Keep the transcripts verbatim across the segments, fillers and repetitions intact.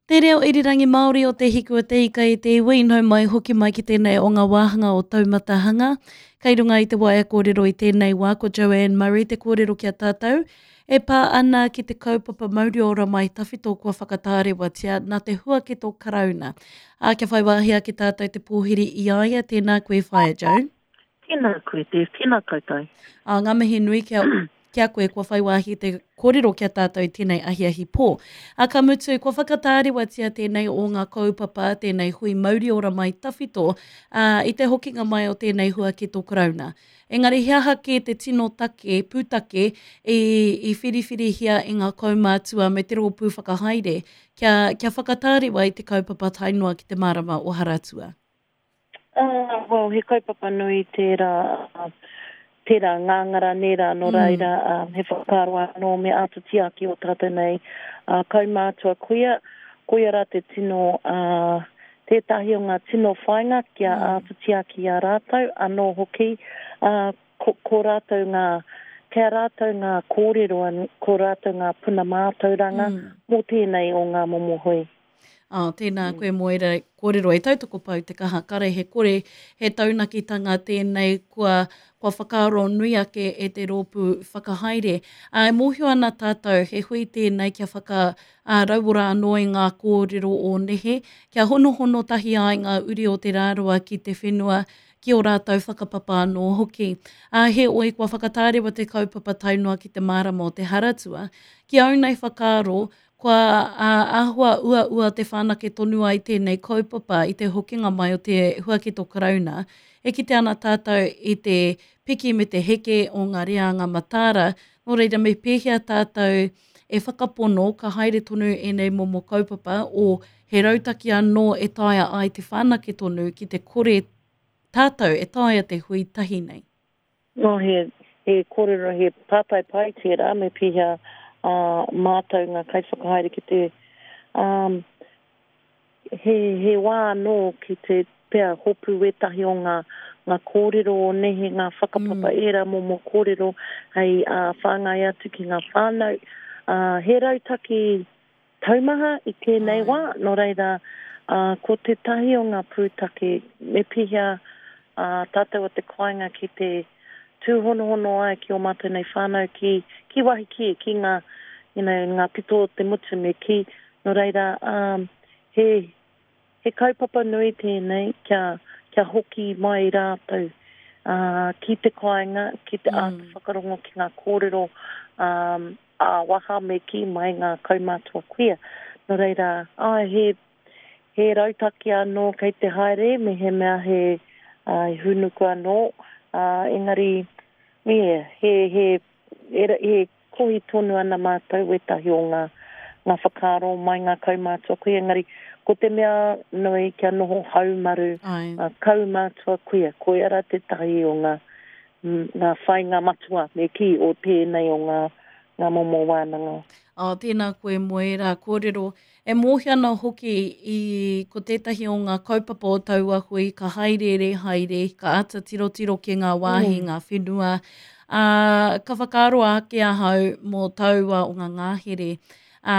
Te reo irirangi Māori o Te Hiku o Te Ika i te iwi, nau mai hoki mai ki tēnei o ngā wāhanga o Taumatahanga. Kei runga i te waea kōrero i tēnei wā ko Joanne Murray te kōrero ki a tātou e pā ana ki te kaupapa mauri ora mai tawhito kua whakatārewatia nā te huaketo Karauna. Ā, kia whai wāhi ake tātou te pōhiri i a ia, tēnā koe Whaea Joan. Tēnā koe Dave, tēnā koutou. Ā, ngā mihi nui kia, ki a koe kua whai wāhi te kōrero ki a tātou i tēnei ahiahi pō. Ā, ka mutu, kua whakatārewatia tēnei o ngā kaupapa, tēnei hui mauri ora mai tawhito, ā, i te hokinga mai o tēnei huaketo Karauna. Engari he aha kē te tino take, pūtake, i, i whiriwhirihia e ngā kaumātua me te rōpū whakahaere kia, kia whakatārewa i te kaupapa tae noa ki te marama o Haratua? Uh, well, he kaupapa nui tērā, tērā ngāngara nērā, nō reira, um, he whakaaro anō me āta tiaki o tātou nei uh, kaumātua koia, koia rā te tino, uh, tētahi o ngā tino whāinga kia mm. āta tiaki i a rātou, anō hoki, uh, ko, ko rātou ngā, kia rātou ngā kōrero, ko rātou ngā puna mātauranga mm. mō tēnei o ngā momo hui. Oh, tēnā koe Moera kōrero e tautoko pau te kaha kare he kore, he taunakitanga tēnei kua, kua whakaaro nui ake e te rōpū whakahaere. Ā, e mōhio ana tātou, he hui tēnei kia whaka ā, rauora anō i ngā kōrero o nehe, kia honohono tahi ai ngā uri o te rāroa ki te whenua, ki o rātou whakapapa anō hoki. Ā, heoi, kua whakatārewa te kaupapa tae noa ki te marama o te Haratua. Ki au nei whakaaro, kua āhua uaua te whanake tonu ai tēnei kaupapa i te hokinga mai o te huaketo Karauna. E kite ana tātou i te piki me te heke o ngā reanga mataara, nō reira me pēhea tātou e whakapono ka haere tonu ēnei momo kaupapa o he rautaki anō e taea ai te whanake tonu ki te kore tātou e taea te hui tahi nei. No, he, he kōrero, he pātai pai tērā, me pēhea uh, mātou ngā kaiwhakahaere ki te um, he, he wā anō ki te pea hopu wētahi o ngā, ngā kōrero o nehe, ngā whakapapa mm. ērā momo kōrero hei uh, whāngai atu ki ngā whānau. Uh, he rautaki taumaha i tēnei wā, nō reira, uh, ko tētahi o ngā pūtake me pēhea uh, tātou o te kāinga ki te tūhonohono ai ki o mātou nei whānau ki, ki wahi ki, ki ngā, you know, ngā pito o te motu me ki. Nō reira, um, he, he kaupapa nui tēnei kia, kia hoki mai rātou uh, ki te kāinga, ki te mm. āta whakarongo ki ngā kōrero um, ā-waha me ki mai ngā kaumātua kuia. Nō reira, ai, he, he rautaki anō kei te haere, me he mea he uh, hūnuku anō, uh, engari, yeah, he, he, he, he kohi tonu ana mātou wētahi o ngā, ngā whakaaro mai ngā kaumātua kuia, engari ko te mea nui kia noho haumaru ngā kaumātua kuia, koia rā tētahi o ngā, ngā whāinga matua me kī o tēnei o ngā, ngā momo wānanga. Oh, tēnā koe Moera kōrero. E mōhio ana hoki i ko tētahi o ngā kaupapa o taua hui, ka haerere haere, ka āta tirotiro ki ngā wāhi, mm. ngā whenua. Ā, ka whakaaro ake ahau mō taua o ngā ngāhere ā,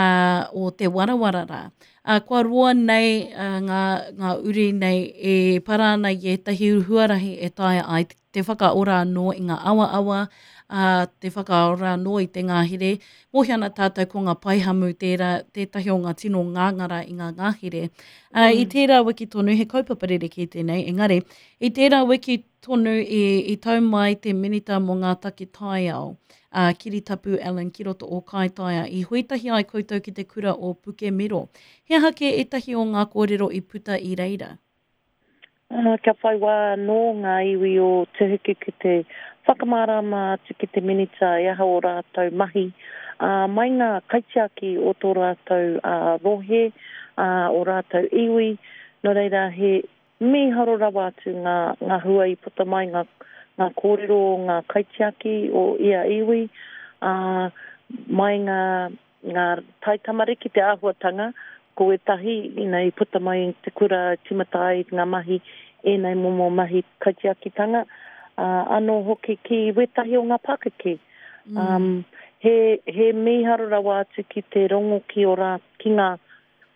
o te warawara rā. Ā, kua roa nei ā, ngā, ngā uri nei e para ana i ētahi huarahi e taea ai te whakaora anō i ngā awaawa, ā, te whakaora anō i te ngāhere. Mōhio ana tātou ko ngā paihamu tērā, tētahi o ngā tino ngāngara i ngā ngāhere. Ā, i tērā wiki tonu, he kaupapa rerekē tēnei, engari, i tērā wiki tonu i, i tau mai te minita mō ngā take taiao, ā, Kiritapu Allan ki roto o Kaitaia, i huitahi ai koutou ki te kura o Pukemiro. He aha kē ētahi o ngā kōrero i puta i reira? Uh, kia whai wā anō ngā iwi o Te Huku ki te whakamārama atu ki te minita e aha o rātou mahi, uh, mai ngā kaitiaki o tō rātou uh, rohe, uh, o rātou iwi, nō reira he mīharo rawa atu ngā, ngā hua i puta mai ngā, ngā kōrero o ngā kaitiaki o ia iwi, uh, mai ngā, ngā taitamariki te āhuatanga, ko ētahi, you know, i puta mai i te kura tīmata ai ngā mahi, ēnei momo mahi kaitiakitanga, uh, anō hoki ki wētahi o ngā pakeke. Mm. Um, he, he mīharo rawa atu ki te rongo ki, o rā, ki ngā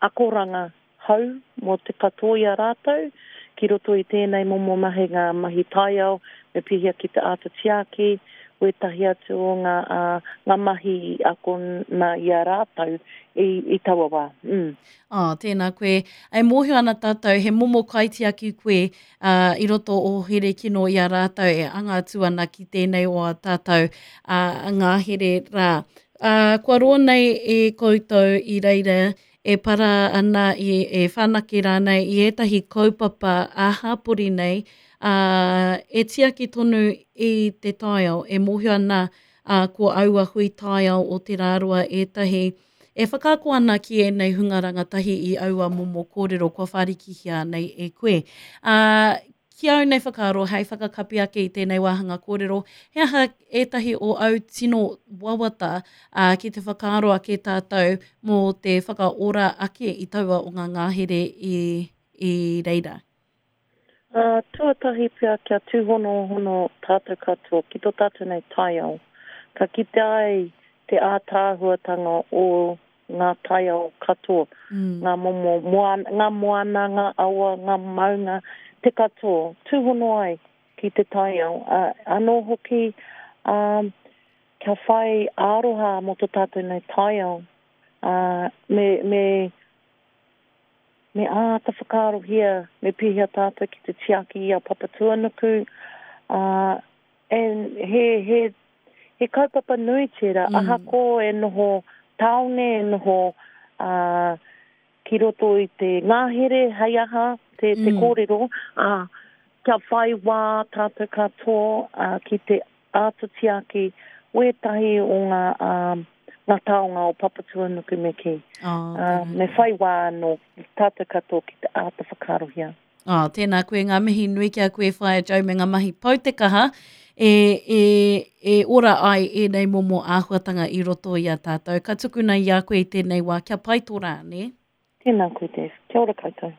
akoranga hou mō te katoa i a rātou, ki roto i tēnei momo mahi ngā mahi taiao, me pēhea ki te āta tiaki, wētahi atu o ngā, uh, ngā mahi akona i a rātou i, i taua wā. Mm. Oh, tēnā koe. E mōhio ana tātou, he momo kaitiaki koe uh, i roto o Herekino i a rātou e anga atu ana ki tēnei o a tātou uh, ngāhere rā. Uh, kua roa nei e koutou i reira e para ana i, e whanake rānei i ētahi kaupapa ā-hapori nei, uh, e tiaki tonu i te taiao, e mōhio ana uh, ko aua hui taiao o te rāroa ētahi e whakaako ana ki ēnei hunga rangatahi i aua momo kōrero kua whārikihia nei e koe. Uh, ki au nei whakaaro, hei whakakapi ake i tēnei wāhanga kōrero, he aha ētahi o au tino wawata uh, ki te whakaaro ake tātou mō te whakaora ake i taua o ngā ngāhere i, i reira? Uh, tuatahi pea kia tūhonohono tātou katoa ki tō tātou nei taiao. Ka kite ai te ātaahuatanga o ngā taiao katoa, Mm. ngā momo moana, ngā moana, ngā awa, ngā maunga, te katoa, tūhono ai ki te taiao. Uh, anō hoki, um, kia whai aroha mō tō tātou nei taiao. Uh, me, me, me āta whakaarohia, me pēhea tātou ki te tiaki i a Papatūānuku. Uh, and he, he, he kaupapa nui tērā, Mm. ahako e noho tāone, e noho uh, ki roto i te ngāhere, hei aha, te, te Mm. kōrero, uh, kia whai wā tātou katoa uh, ki te āta tiaki wētahi o ngā, um, ngā taonga o Papatūānuku me kī. Oh, Uh, tēnā me koe. whai wā anō tātou katoa ki te āta whakaarohia. Oh, tēnā koe, ngā mihi nui ki a koe Whaea Jo me ngā mahi pau te kaha e, e, e ora ai ēnei momo āhuatanga i roto i a tātou. Ka tukuna i a koe i tēnei wā, kia pai tō rā, ne? Tēnā koe, Dave. Kia ora koutou.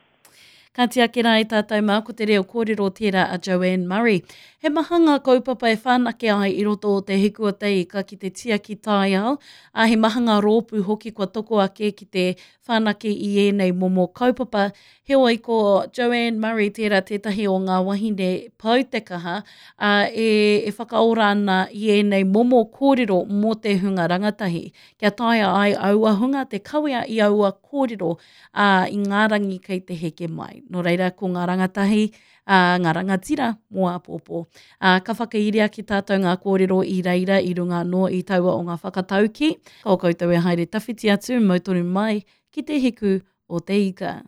Ka tiaki rā i tātou mā, ko te reo kōrero tērā a Joanne Murray. He maha ngā kaupapa e whanake ai i roto o te hiku o te ika ki te tiaki taiao, a he maha ngā rōpū hoki kua toko ake ki te whanake i ēnei momo kaupapa. Heoi ko Joanne Murray tērā tētahi o ngā wahine pau te kaha, a, e, e whakaora ana i ēnei momo kōrero mō te hunga rangatahi. Kia taea ai aua hunga te kawea i aua kōrero a, i ngā rangi kei te heke mai. Nō reira ko ngā rangatahi, a, ngā rangatira mō āpōpō. A, ka whakairia ki tātou ngā kōrero i reira i runga anō i taua o ngā whakatauki. Ka o koutou e haere tawhiti atu, mau tonu mai ki te hiku o te ika.